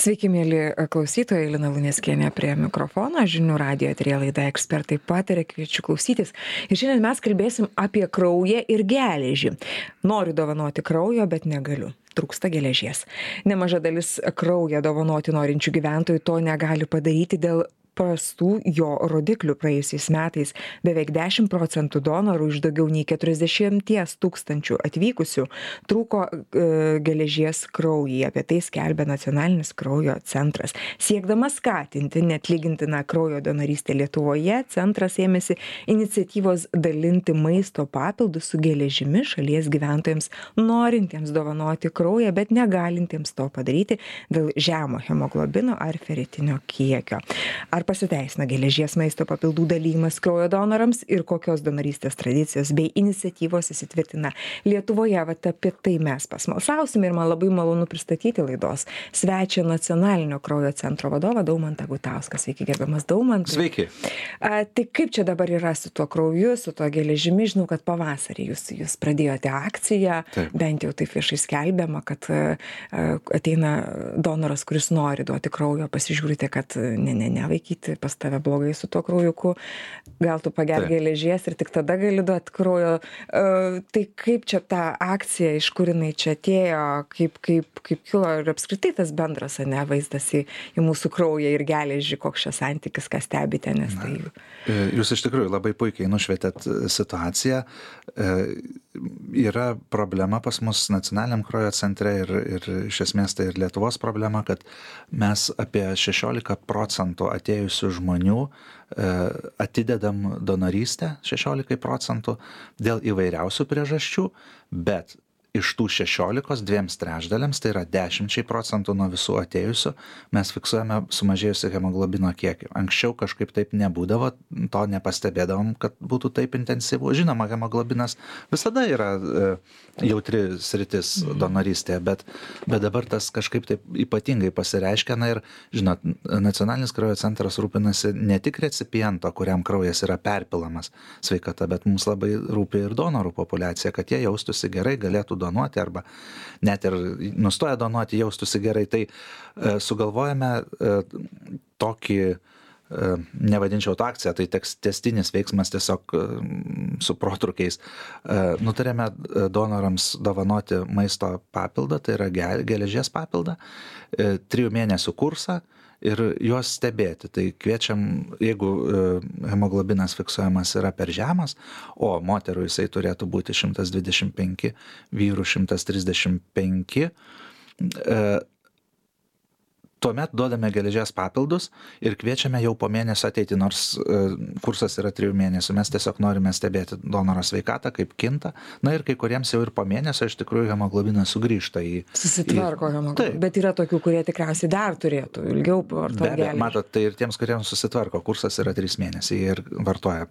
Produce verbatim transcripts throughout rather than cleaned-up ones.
Sveiki, mėly klausytojai, Lina Luneckienė prie mikrofono, žinių radijo eteryje laida Ekspertai pataria, kviečiu klausytis. Ir šiandien mes kalbėsim apie kraują ir geležį. Noriu dovanoti kraujo, bet negaliu. Trūksta geležies. Nemaža dalis kraują dovanoti norinčių gyventojų to negali padaryti dėl prastų jo rodiklių. Praėjusiais metais beveik dešimt procentų donorų iš daugiau nei keturiasdešimties tūkstančių atvykusių trūko e, geležies kraujyje. Apie tai skelbia Nacionalinis kraujo centras. Siekdamas skatinti neatlygintiną kraujo donorystę Lietuvoje, centras ėmėsi iniciatyvos dalinti maisto papildus su geležimi šalies gyventojams, norintiems dovanoti kraują, bet negalintiems to padaryti dėl žemo hemoglobino ar feritinio kiekio. Ar pasiteisina geležies maisto papildų dalymas kraujo donorams ir kokios donorystės tradicijos bei iniciatyvos įsitvirtina Lietuvoje? Vat apie tai mes pasmalsausime ir man labai malonu pristatyti laidos svečią Nacionalinio kraujo centro vadovą Daumantą Gutauską. Sveiki, gerbiamas Daumantai. Sveiki. A, tai kaip čia dabar yra su tuo krauju, su tuo geležimi? Žinau, kad pavasarį jūs, jūs pradėjote akciją, taip. Bent jau taip viešai skelbiama, kad a, ateina donoras, kuris nori duoti kraujo, pasižiūrite, kad ne, ne, ne, vaikyti, pas tave blogai su tuo kraujuku, gal tu pagerk geležies ir tik tada gali duoti kraujo. Uh, tai kaip čia ta akcija, iš kur jinai čia atėjo, kaip, kaip, kaip kilo ir apskritai tas bendras, ne, vaizdas į, į mūsų kraują ir geležį, koks čia santykis, ką stebite, nes tai... Jūs iš tikrųjų labai puikiai nušvietėt situaciją. Yra problema pas mus Nacionaliniam kraujo centre ir, ir iš esmės tai ir Lietuvos problema, kad mes apie šešiolika procentų atėjusių žmonių atidedam donorystę, šešiolika procentų dėl įvairiausių priežasčių, bet iš tų šešiolikos dviems trečdaliams, tai yra dešimčiai procentų nuo visų atėjusių, mes fiksuojame sumažėjusią hemoglobino kiekį. Anksčiau kažkaip taip nebūdavo, to nepastebėdavom, kad būtų taip intensyvu. Žinoma, hemoglobinas visada yra e, jautri sritis donorystėje, bet, bet dabar tas kažkaip taip ypatingai pasireiškia. Na ir, žinot, Nacionalinis kraujo centras rūpinasi ne tik recipiento, kuriam kraujas yra perpilamas sveikata, bet mums labai rūpi ir donorų populiacija, kad jie jaustųsi gerai, galėtų donuoti arba net ir nustoja donuoti, jaustųsi gerai. Tai e, sugalvojame e, tokį, e, nevadinčiau to akciją, tai teks tęstinis veiksmas tiesiog e, su protrukiais. E, nutarėme donorams dovanoti maisto papildą, tai yra geležies papildą, e, trijų mėnesių kursą ir juos stebėti. Tai kviečiam, jeigu hemoglobinas fiksuojamas yra per žemas, o moterų jisai turėtų būti šimtas dvidešimt penki, vyrų šimtas trisdešimt penki, tuomet duodame geležies papildus ir kviečiame jau po mėnesio ateiti, nors kursas yra trijų mėnesių. Mes tiesiog norime stebėti donoro sveikatą, kaip kinta. Na ir kai kuriems jau ir po mėnesio iš tikrųjų hemoglobinas sugrįžta į... Susitvarko hemoglobinas. Bet yra tokių, kurie tikriausiai dar turėtų ilgiau vartoti geležį. Matot, tai ir tiems, kuriems susitvarko, kursas yra trys mėnesiai ir vartoja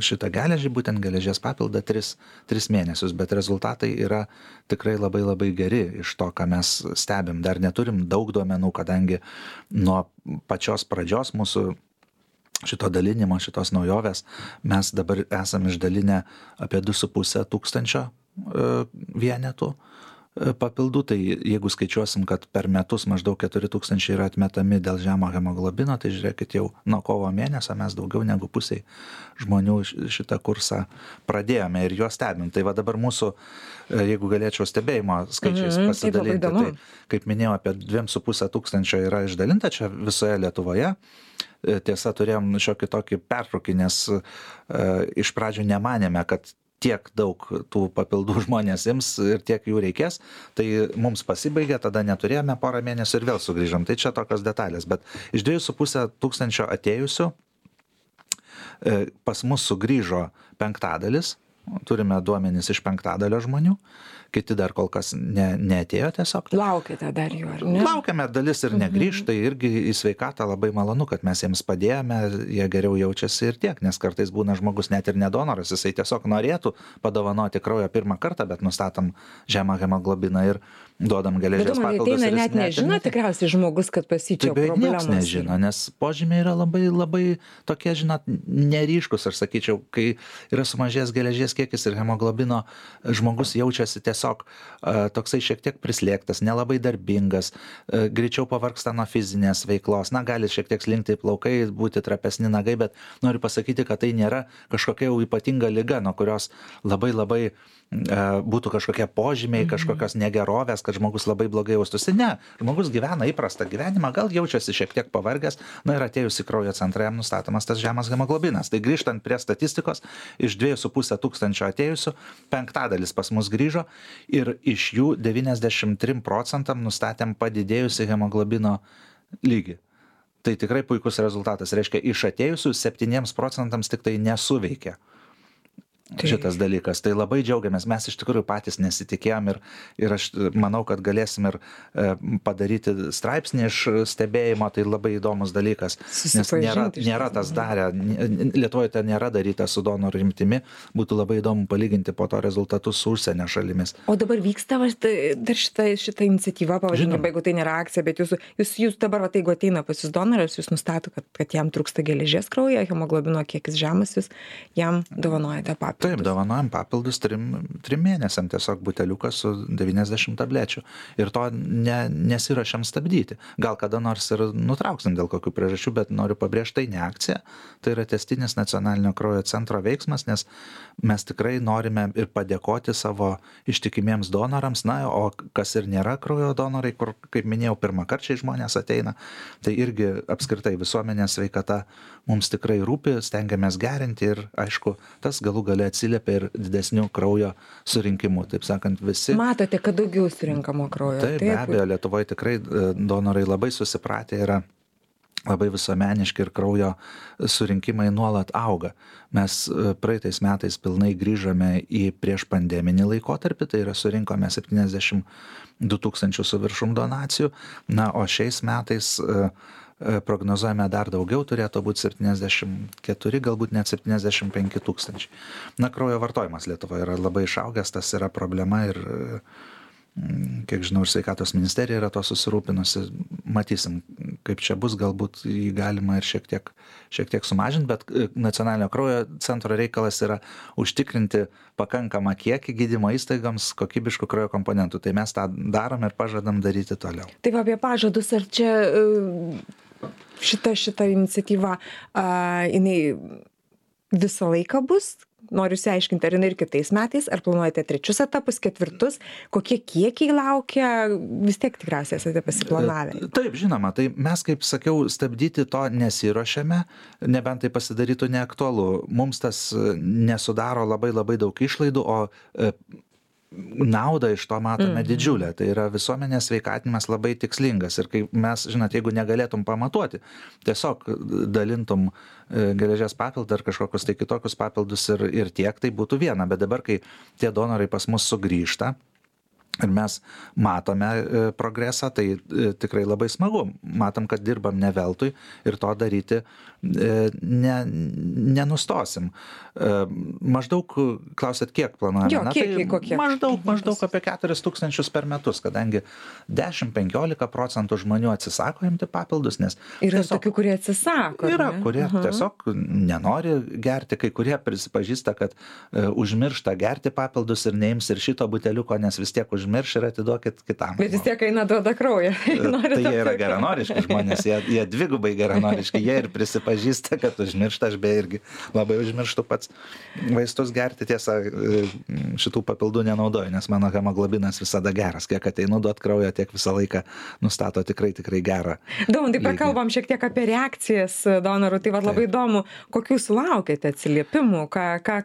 šitą geležį, būtent geležies papildą tris, tris mėnesius, bet rezultatai yra tikrai labai labai geri iš to, ką mes stebim. Dar neturim daug duomenų, kadangi nuo pačios pradžios mūsų šito dalinimo, šitos naujovės, mes dabar esam išdalinę apie du su puse tūkstančio vienetų papildų, tai jeigu skaičiuosim, kad per metus maždaug keturi tūkstančiai yra atmetami dėl žemo hemoglobino, tai žiūrėkit, jau nuo kovo mėnesio mes daugiau negu pusiai žmonių šitą kursą pradėjome ir juos stebim. Tai va dabar mūsų, jeigu galėčiau stebėjimo skaičiais mm, pasidalinti, tai kaip minėjau, apie dviem su pusę tūkstančio yra išdalinta čia visoje Lietuvoje. Tiesa, turėjom šiokį tokį pertrūkį, nes e, iš pradžių nemanėme, kad tiek daug tų papildų žmonės ims ir tiek jų reikės, tai mums pasibaigė, tada neturėjome porą mėnesių ir vėl sugrįžom. Tai čia tokios detalės, bet iš dviejų su pusę tūkstančio atėjusių pas mus sugrįžo penktadalis, turime duomenis iš penktadalio žmonių, kiti dar kol kas ne, neatėjo tiesiog. Laukite dar jų, ar ne? Laukiame, dalis ir negrįž, tai irgi į sveikatą labai malonu, kad mes jiems padėjome, jie geriau jaučiasi ir tiek, nes kartais būna žmogus net ir nedonoras, jisai tiesiog norėtų padovanoti kraujo pirmą kartą, bet nustatom žemą hemoglobiną ir duodam geležies papildus. Bet net nežino tikriausiai žmogus, kad pasičia problemos. Niekas nežino, nes požymiai yra labai, labai tokie, žinot, neryškus, aš sakyčiau, kai yra sumažėjęs geležies geležies kiekis ir hemoglobino, žmogus jaučiasi tiesiog uh, toksai šiek tiek prislėgtas, nelabai darbingas, uh, greičiau pavargsta nuo fizinės veiklos, na, gali šiek tiek slinkti plaukai, būti trapesni nagai, bet noriu pasakyti, kad tai nėra kažkokia jau ypatinga liga, nuo kurios labai labai būtų kažkokie požymiai, kažkokios negerovės, kad žmogus labai blogai jaustųsi. Ne, žmogus gyvena įprastą gyvenimą, gal jaučiasi šiek tiek pavargęs, na ir atėjus į kraujo centrą jam nustatomas tas žemas hemoglobinas. Tai grįžtant prie statistikos, iš dviejų su puse tūkstančio atėjusių, penktadalis pas mus grįžo ir iš jų devyniasdešimt trim procentam nustatėm padidėjusi hemoglobino lygį. Tai tikrai puikus rezultatas. Reiškia, iš atėjusių septyniems procentams tik tai nesuveikė šitas dalykas. Tai labai džiaugiamės. Mes iš tikrųjų patys nesitikėjom ir, ir aš manau, kad galėsim ir e, padaryti straipsnį iš stebėjimo. Tai labai įdomus dalykas. Nes nėra, nėra tas darę. Lietuvoje tai nėra daryta su donorų rimtimi. Būtų labai įdomu palyginti po to rezultatus su užsienio šalimis. O dabar vyksta dar šita, šita iniciatyva, pavadinkime, jeigu tai nėra akcija, bet jūs, jūs, jūs dabar, va, jeigu ateina pas jūs donoras, jūs nustato, kad, kad jam trūksta geležies kraujyje, hemoglobino kiekis žemas, jūs jam dovanojate papildus. Taip, dovanojam papildus trim, trim mėnesiam, tiesiog buteliukas su devyniasdešimt tablečių. Ir to ne, nesirašiam stabdyti. Gal kada nors ir nutrauksim dėl kokių priežasčių, bet noriu pabrėžti, tai ne akcija. Tai yra tęstinis nacionalinio kraujo centro veiksmas, nes mes tikrai norime ir padėkoti savo ištikimiems donorams. Na, o kas ir nėra kraujo donorai, kur, kaip minėjau, pirmakarčiai žmonės ateina, tai irgi apskritai visuomenės sveikata mums tikrai rūpi, stengiamės gerinti ir, aišku, tas galų gale atsiliepia ir didesnių kraujo surinkimų. Taip sakant, visi... Matote, kad daugiau surinkamo kraujo. Taip, be abejo, Lietuvoje tikrai donorai labai susipratę yra, labai visuomeniški ir kraujo surinkimai nuolat auga. Mes praeitais metais pilnai grįžome į prieš pandeminį laikotarpį, tai yra surinkome septyniasdešimt du tūkstančius su viršum donacijų, na, o šiais metais prognozuojame dar daugiau, turėtų būti septyniasdešimt keturi, galbūt net septyniasdešimt penki tūkstančiai. Na, kraujo vartojimas Lietuvoje yra labai išaugęs, tas yra problema ir, kiek žinau, ir sveikatos ministerija yra to susirūpinusi. Matysim, kaip čia bus, galbūt jį galima ir šiek tiek, šiek tiek sumažinti, bet nacionalinio kraujo centro reikalas yra užtikrinti pakankamą kiekį gydymo įstaigoms kokybiškų kraujo komponentų. Tai mes tą darom ir pažadam daryti toliau. Taip, apie pažadus, ar čia šita, šita iniciatyva, a, jinai visą laiką bus? Noriu išsiaiškinti, ar jinai ir kitais metais, ar planuojate trečius etapus, ketvirtus, kokie kiekiai laukia, vis tiek tikriausiai esate pasiplanavę. Taip, žinoma, tai mes, kaip sakiau, stabdyti to nesiruošiame, nebent tai pasidarytų neaktualu. Mums tas nesudaro labai labai daug išlaidų, o naudą iš to matome didžiulę. Tai yra visuomenės sveikatinimas labai tikslingas. Ir kai mes, žinot, jeigu negalėtum pamatuoti, tiesiog dalintum geležies papildą ar kažkokius tai kitokius papildus ir, ir tiek, tai būtų viena. Bet dabar, kai tie donorai pas mus sugrįžta ir mes matome progresą, tai tikrai labai smagu. Matom, kad dirbam ne veltui ir to daryti ne, nenustosim. Maždaug, klausėt, kiek planuojame? Jo, kiekiai kokie? Maždaug, maždaug apie keturis tūkstančius per metus, kadangi dešimt penkiolika procentų žmonių atsisako imti papildus, nes... Yra tiesiog, tokių, kurie atsisako. Yra, kurie uh-huh. tiesiog nenori gerti, kai kurie prisipažįsta, kad uh, užmiršta gerti papildus ir neims ir šito buteliuko, nes vis tiek užmirš ir atiduokit kitam. Bet vis tiek eina duoda kraują. Tai jie yra geranoriški žmonės, jie, jie dvigubai geranoriški, jie ir prisipažįsta, kad užmiršta, aš be irgi labai užmirštu pats vaistus gerti, tiesa, šitų papildų nenaudoju, nes mano hemoglobinas visada geras, kiek ateinu duot kraujo, tiek visą laiką nustato tikrai, tikrai gerą. Daumantai, pakalbam šiek tiek apie reakcijas donorų, tai va labai įdomu, kokių sulaukėte atsiliepimų, ką, ką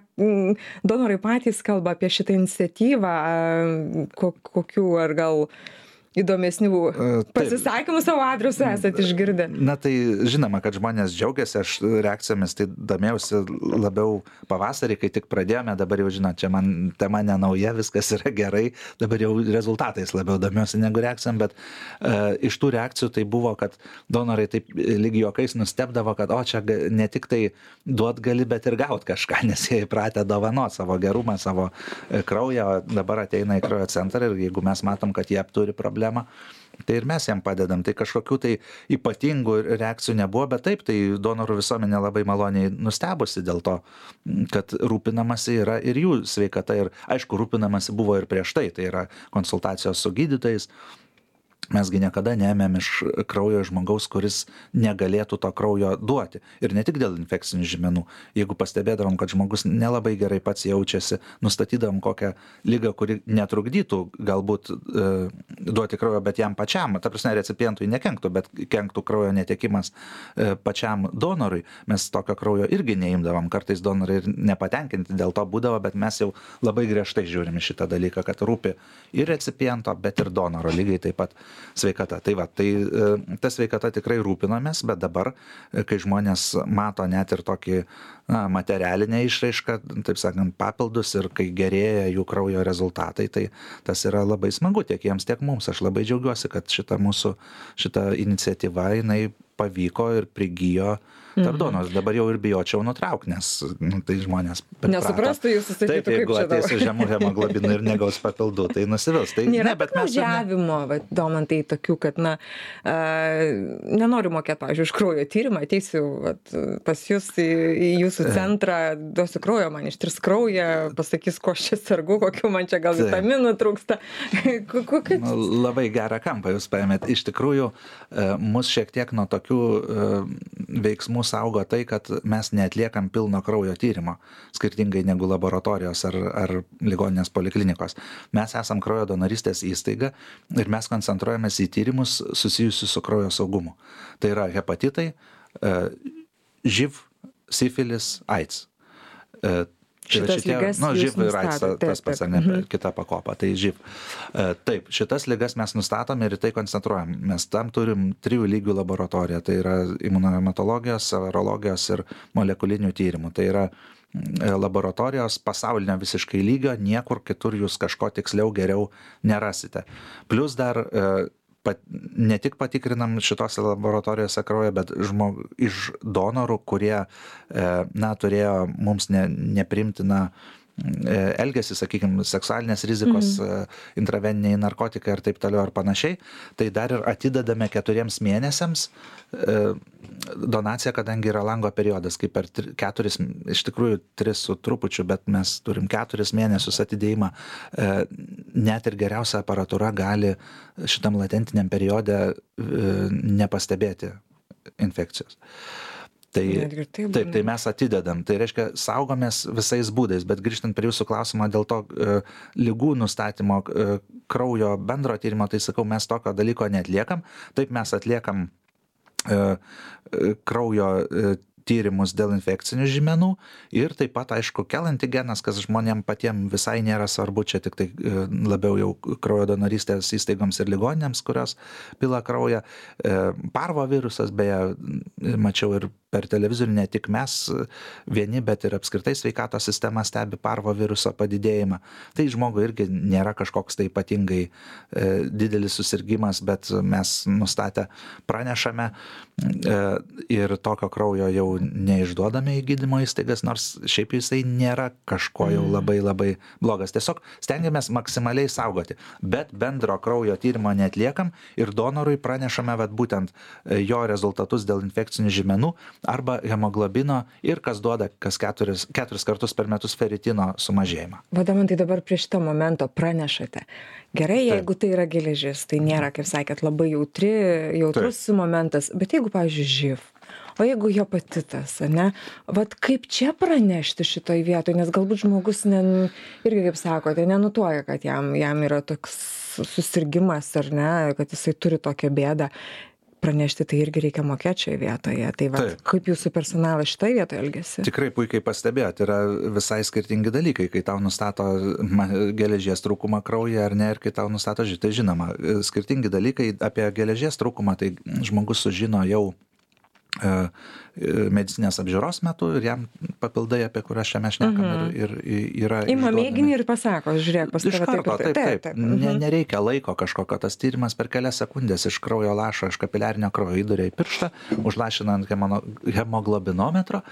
donorai patys kalba apie šitą iniciatyvą, kokių ar gal įdomesnių pasisakymų savo adresu esate išgirdę? Na tai žinoma, kad žmonės džiaugiasi, aš reakcijomis tai domėjausi labiau pavasarį, kai tik pradėjome, dabar jau žinot, čia man tema nenauja, viskas yra gerai, dabar jau rezultatais labiau domiuosi negu reakcijom, bet uh, iš tų reakcijų tai buvo, kad donorai taip lyg juokais nustebdavo, kad o čia ne tik tai duot gali, bet ir gaut kažką, nes jie įpratę dovanot savo gerumą, savo kraują, dabar ateina į kraujo centrą ir jeigu mes matom, kad jie turi problemą, problemą, tai ir mes jam padedam. Tai kažkokių tai ypatingų reakcijų nebuvo, bet taip, tai donorų visuomenė labai maloniai nustebusi dėl to, kad rūpinamasi yra ir jų sveikata. Ir aišku, rūpinamasi buvo ir prieš tai, tai yra konsultacijos su gydytojais. Mesgi niekada neėmėm iš kraujo žmogaus, kuris negalėtų to kraujo duoti. Ir ne tik dėl infekcinių žymenų. Jeigu pastebėdavom, kad žmogus nelabai gerai pats jaučiasi, nustatydavom kokią ligą, kuri netrukdytų galbūt e, duoti kraujo, bet jam pačiam, ta prasme, recipientui nekenktų, bet kenktų kraujo netekimas e, pačiam donorui, mes tokio kraujo irgi neimdavom. Kartais donorai ir nepatenkinti dėl to būdavo, bet mes jau labai griežtai žiūrime šitą dalyką, kad rūpi ir recipiento, bet ir donoro lygiai taip pat sveikata. Tai va, tai ta sveikata tikrai rūpinomės, bet dabar, kai žmonės mato net ir tokį na, materialinę išraišką, taip sakant, papildus ir kai gerėja jų kraujo rezultatai, tai tas yra labai smagu tiek jiems, tiek mums. Aš labai džiaugiuosi, kad šita mūsų, šita iniciatyva, jinai pavyko ir prigijo tarp donorų. Dabar jau ir bijočiau nutraukti, nes nu, tai žmonės nesuprastų, jūs susakytų, taip, jeigu ateis su žemu hemoglobinu ir negaus papildų, tai nusivils. Tai, nėra ne, bet mes piktnaudžiavimo, ne... Domantai, tokių, kad, na, a, nenoriu mokėti, pavyzdžiui, už kraujo tyrimą, ateisiu vat, pas jūs į, į jūsų centrą, duosiu kraujo, man ištirs kraują, pasakys, ko aš čia sergu, kokių man čia gal vitaminų trūksta. Nu, labai gerą kampą jūs paėmėt. Iš tikrųjų, mus šiek tiek nuo tokių veiksmų saugo tai, kad mes neatliekam pilno kraujo tyrimo, skirtingai negu laboratorijos ar, ar ligoninės poliklinikos. Mes esam kraujo donorystės įstaiga ir mes koncentruojamės į tyrimus susijusius su kraujo saugumu. Tai yra hepatitai, živ, sifilis, AIDS. Šitas šitie, ligas nu, živ ir AIDS, nustato, tas pats, ar ne, mhm. kita pakopa, tai živ. Taip, šitas ligas mes nustatom ir į tai koncentruojam. Mes tam turim trijų lygių laboratoriją, tai yra imunohematologijos, serologijos ir molekulinių tyrimų. Tai yra laboratorijos pasaulinio visiškai lygio, niekur kitur jūs kažko tiksliau geriau nerasite. Plus dar pat, ne tik patikrinam šitose laboratorijose kraują, bet žmog, iš donorų, kurie na, turėjo mums ne, neprimtiną elgesį, sakykime, seksualinės rizikos, mm. intraveniniai narkotikai ir taip toliau ar panašiai, tai dar ir atidedame keturiems mėnesiams donaciją, kadangi yra lango periodas, kaip per keturis, iš tikrųjų tris su trupučiu, bet mes turim keturis mėnesius atidėjimą. Net ir geriausia aparatūra gali šitam latentiniam periode nepastebėti infekcijos. Tai, taip, tai mes atidedam. Tai reiškia, saugomės visais būdais, bet grįžtant prie jūsų klausimą dėl to e, lygų nustatymo e, kraujo bendro tyrimo, tai sakau, mes tokio dalyko neatliekam. Taip mes atliekam e, kraujo e, tyrimus dėl infekcinių žymenų ir taip pat, aišku, kelantigenas, kas žmonėm patiem visai nėra svarbu, čia tik tai labiau jau kraujo donorystės įstaigoms ir ligoninėms, kurios pila kraują. Parvo virusas, beje, mačiau ir per televizorių, ne tik mes vieni, bet ir apskritai sveikatos sistema stebi parvo viruso padidėjimą. Tai žmogui irgi nėra kažkoks tai ypatingai e, didelis susirgymas, bet mes nustatę pranešame e, ir tokio kraujo jau neišduodame į gydymo įstaigas, nors šiaip jisai nėra kažko jau labai labai blogas. Tiesiog stengiamės maksimaliai saugoti, bet bendro kraujo tyrimo neatliekam ir donorui pranešame vat, būtent jo rezultatus dėl infekcinių žymenų arba hemoglobino ir kas duoda kas keturis, keturis kartus per metus feritino sumažėjimą. Vadam, tai dabar prie šito momento pranešate. Gerai, Taip. Jeigu tai yra geležis, tai nėra, kaip sakėt, labai jautri, jautrus Taip. Momentas, bet jeigu, pavyzdžiui, živ, o jeigu hepatitas, ne, vat kaip čia pranešti šitoj vietoj, nes galbūt žmogus ne, irgi, kaip sakote, nenutuoja, kad jam, jam yra toks susirgimas ar ne, kad jisai turi tokią bėdą. Pranešti tai irgi reikia mokėti šioje vietoje. Tai va, kaip jūsų personalas šitoje vietoje elgesi? Tikrai puikiai pastebėjot, yra visai skirtingi dalykai, kai tau nustato geležies trūkumą kraujyje ar ne, ir kai tau nustato živ. Tai žinoma, skirtingi dalykai apie geležies trūkumą, tai žmogus sužino jau medicinės apžiūros metu ir jam papildai, apie kurias čia mes šnekam, uh-huh. ir, ir yra... Ima mėginį ir pasako, žiūrėk, pas tave taip. Iš karto, taip, taip. taip, taip. Uh-huh. Ne, nereikia laiko kažkokio, tas tyrimas per kelias sekundės iš kraujo lašo, iš kapiliarinio kraujo įduria į pirštą, užlašinant hemoglobinometro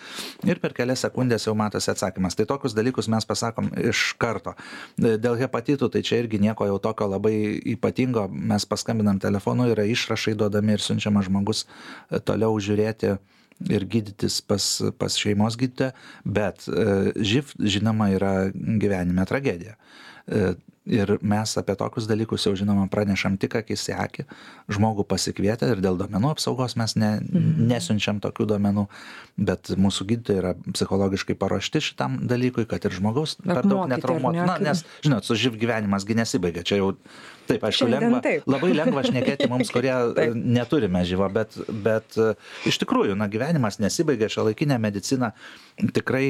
ir per kelias sekundės jau matosi atsakymas. Tai tokius dalykus mes pasakom iš karto. Dėl hepatitų, tai čia irgi nieko jau tokio labai ypatingo, mes paskambinam telefonu, yra išrašai duodami ir siunčiamas žmogus toliau žiūrėti ir gydytis pas, pas šeimos gydytoją, bet živ, žinoma, yra gyvenime tragedija. Ir mes apie tokius dalykus jau, žinoma, pranešam tik akis į akį, žmogų pasikvietę ir dėl duomenų apsaugos mes ne, nesiunčiam tokių duomenų, bet mūsų gydytojai yra psichologiškai paruošti šitam dalykui, kad ir žmogaus per daug netraumuotų. Na, nes, žinot, su živ gyvenimas gi nesibaigia, čia jau taip, aišku, lengva, taip. labai lengva šnekėti mums, kurie neturime živo, bet, bet iš tikrųjų, na, gyvenimas nesibaigia, šiuolaikinė medicina tikrai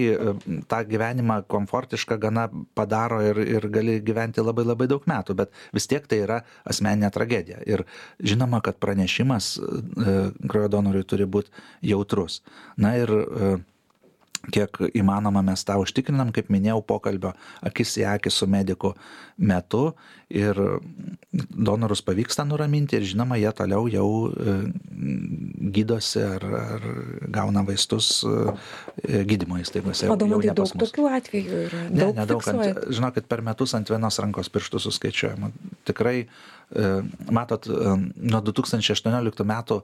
tą gyvenimą komfortišką gana padaro ir, ir gali gyventi labai labai daug metų, bet vis tiek tai yra asmeninė tragedija. Ir žinoma, kad pranešimas kraujo donorui turi būti jautrus. Na ir kiek įmanoma mes tą užtikrinam, kaip minėjau, pokalbio akis į akį su mediku metu ir donorus pavyksta nuraminti ir žinoma, jie toliau jau gydosi ar, ar gauna vaistus gydymo įstaigose. O donorai daug tokių atvejų yra? Ne, nedaug. Žinokit, per metus ant vienos rankos pirštų suskaičiuojama. Tikrai, matot, nuo du tūkstančiai aštuonioliktų metų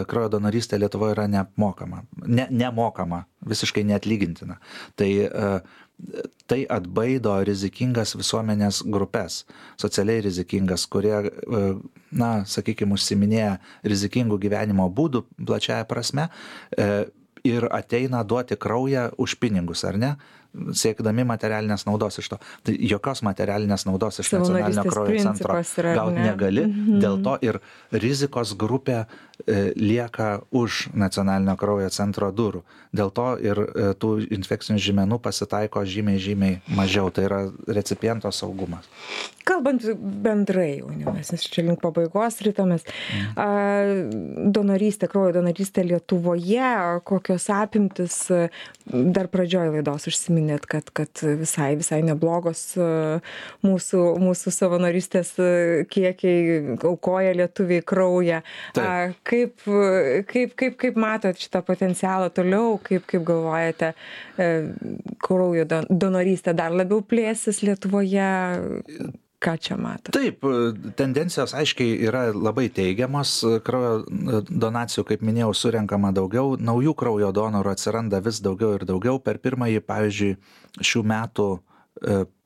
kraujo donorystė Lietuvoje yra neapmokama. Ne, nemokama, visiškai neatlygintina. Tai tai atbaido rizikingas visuomenės grupės, socialiai rizikingas, kurie, na, sakykime, užsiminėja rizikingų gyvenimo būdų plačiaja prasme ir ateina duoti kraują už pinigus, ar ne? Siekdami materialinės naudos iš to. Tai jokios materialinės naudos iš nacionalinio kraujo centro gauti negali, mm-hmm. dėl to ir rizikos grupė e, lieka už nacionalinio kraujo centro durų. Dėl to ir e, tų infekcinių žymenų pasitaiko žymiai, žymiai mažiau. Tai yra recipiento saugumas. Kalbant bendrai, jaunimas, nes čia link pabaigos rytomis, mm. a, donorystė, kraujo donorystė Lietuvoje, kokios apimtis, dar pradžioj laidos užsiminėt, kad, kad visai, visai neblogos mūsų, mūsų savanorystės kiekiai aukoja lietuviai kraują. A, kaip, kaip, kaip, kaip matot šitą potencialą toliau, kaip, kaip galvojate, kraujo donorystė dar labiau plėsis Lietuvoje? Ką čia matot? Taip, tendencijos aiškiai yra labai teigiamos, kraujo donacijų, kaip minėjau, surenkama daugiau, naujų kraujo donorų atsiranda vis daugiau ir daugiau. Per pirmąjį, pavyzdžiui, šių metų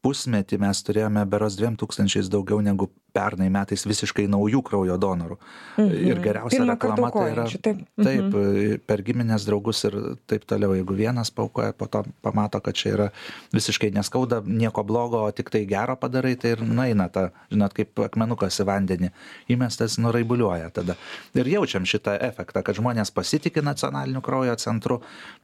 pusmetį mes turėjome berods dviem tūkstančiais daugiau negu pernai metais visiškai naujų kraujo donorų. Mhm. Ir geriausia Pirmą reklama tai yra taip, taip mhm. per giminės draugus ir taip toliau. Jeigu vienas paukoja, po to pamato, kad čia yra visiškai neskauda, nieko blogo, o tik tai gero padarai, tai ir nueina ta, žinot, kaip akmenukas į vandenį įmestas, nuraibuliuoja tada. Ir jaučiam šitą efektą, kad žmonės pasitikė nacionaliniu kraujo centru,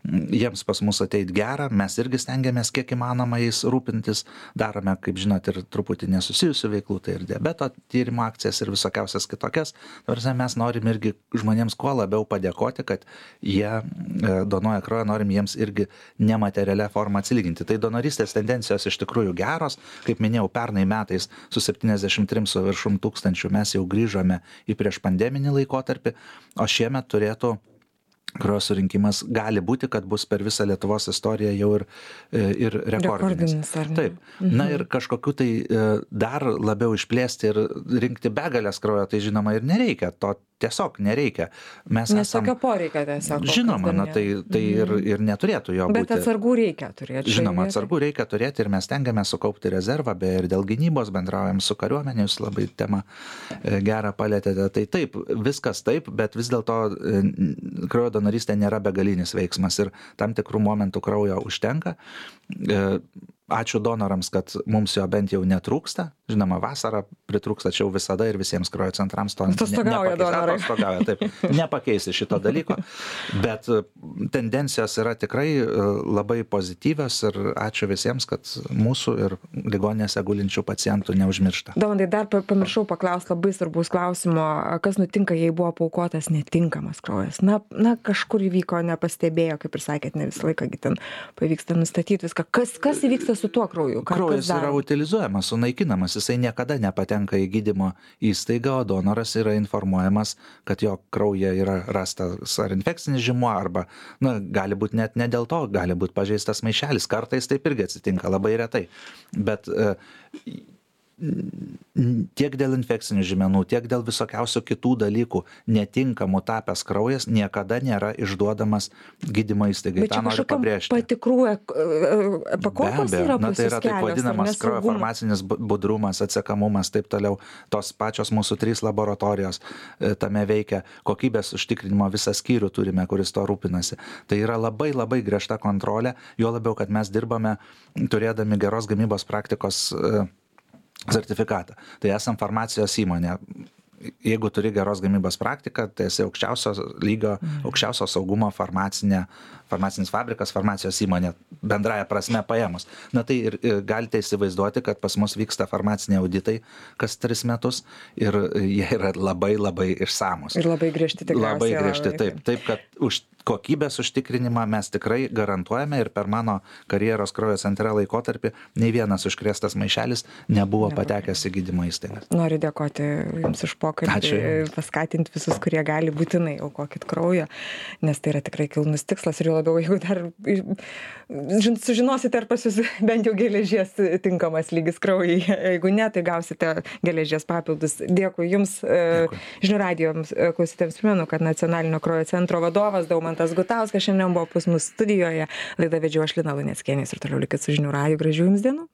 jiems pas mus ateit gera, mes irgi stengiamės kiek įmanoma jais rūpintis, darome, kaip žinot, ir truputį nesusijusių veiklų, tai ir diabeto tyrimo akcijas ir visokiausias kitokias. Tarsi mes norim irgi žmonėms kuo labiau padėkoti, kad jie donuoja kraują, norim jiems irgi nematerialia forma atsilyginti. Tai donorystės tendencijos iš tikrųjų geros. Kaip minėjau, pernai metais su septyniasdešimt trim su viršum tūkstančių mes jau grįžome į prieš pandeminį laikotarpį, o šiemet turėtų kraujo surinkimas gali būti, kad bus per visą Lietuvos istoriją jau ir, ir rekordinis. rekordinis Taip. Mhm. Na ir kažkokiu tai dar labiau išplėsti ir rinkti begalės kraujo, tai žinoma ir nereikia. To tiesiog nereikia. Mes Nes esam... tokio poreikio tiesiog. Žinoma, na, tai, tai ir, ir neturėtų jo Bet būti. Bet atsargų reikia turėti. Žinoma, atsargų reikia turėti ir mes tengiame sukaupti rezervą, beje, ir dėl gynybos bendraujam su kariuomenė, jūs labai temą gerą palėtėte. Tai taip, viskas taip, bet vis dėlto kraujo donorystė nėra begalinis veiksmas ir tam tikrų momentų kraujo užtenka. ačiū donorams, kad mums jo bent jau netrūksta. Žinoma, vasarą pritrūksta, čia jau visada ir visiems kraujo centrams to atostogauja donorai. Atostogauja, taip. Nepakeisi šito dalyko, bet tendencijos yra tikrai labai pozityvios ir ačiū visiems, kad mūsų ir ligoninėse gulinčių pacientų neužmiršta. Daumantai, dar pamiršau paklausti labai svarbus klausimo, kas nutinka, jei buvo paukotas netinkamas kraujas. Na, na kažkur įvyko, nepastebėjo, kaip ir sakėt, ne visą laiką ten pavyksta nustatyti viską. Kas, kas įvyksta su tuo krauju? Ką, Kraujas yra utilizuojamas, sunaikinamas, jisai niekada nepatenka į gydymo įstaigą, o donoras yra informuojamas, kad jo kraujyje yra rastas ar infekcinis žymuo, arba, na, gali būti net ne dėl to, gali būti pažeistas maišelis, kartais taip irgi atsitinka, labai retai. Bet e, tiek dėl infekcinių žymenų, tiek dėl visokiausių kitų dalykų netinkamų tapęs kraujas niekada nėra išduodamas gydymo įstaigai. Bet čia kažkokiam patikrų pakopos yra na, tai yra taip vadinamas kraujo farmacinis budrumas, atsekamumas, taip toliau. Tos pačios mūsų trys laboratorijos tame veikia, kokybės užtikrinimo visą skyrių turime, kuris to rūpinasi. Tai yra labai labai griežta kontrolė, juo labiau, kad mes dirbame turėdami geros gamybos praktikos sertifikatą. Tai esam farmacijos įmonė. Jeigu turi geros gamybos praktiką, tai esi aukščiausio lygio, aukščiausio saugumo farmacinė, farmacinis fabrikas, farmacijos įmonė, bendraja prasme paėmus. Na tai ir, ir galite įsivaizduoti, kad pas mus vyksta farmaciniai auditai kas tris metus ir jie yra labai labai išsamus. Ir labai griežti tikriausiai. Labai griežti, taip. Taip, kad už kokybės užtikrinimą mes tikrai garantuojame ir per mano karjeros kraujo centre laikotarpį nei vienas užkrėstas maišelis nebuvo patekęs į gydymo įstaigą. Noriu dėkoti Jums už pokalbį, paskatinti visus, kurie gali būtinai aukokit kraujo, nes tai yra tikrai kilnus tikslas ir jau labiau, jeigu dar sužinosite, ar pas Jūs bent jau geležies tinkamas lygis kraujai, jeigu ne, tai gausite geležies papildus. Dėkui Jums, Dėkui. Žinių radijo klausytėms primenu, kad Nacionalinio kraujo centro vadovas Daumantas Gutauskas šiandien buvo pas mus studijoje. Laidą vedžiau aš Lina Luneckienė ir toliau likit su Žinių radiju. Gražių Jums dienų.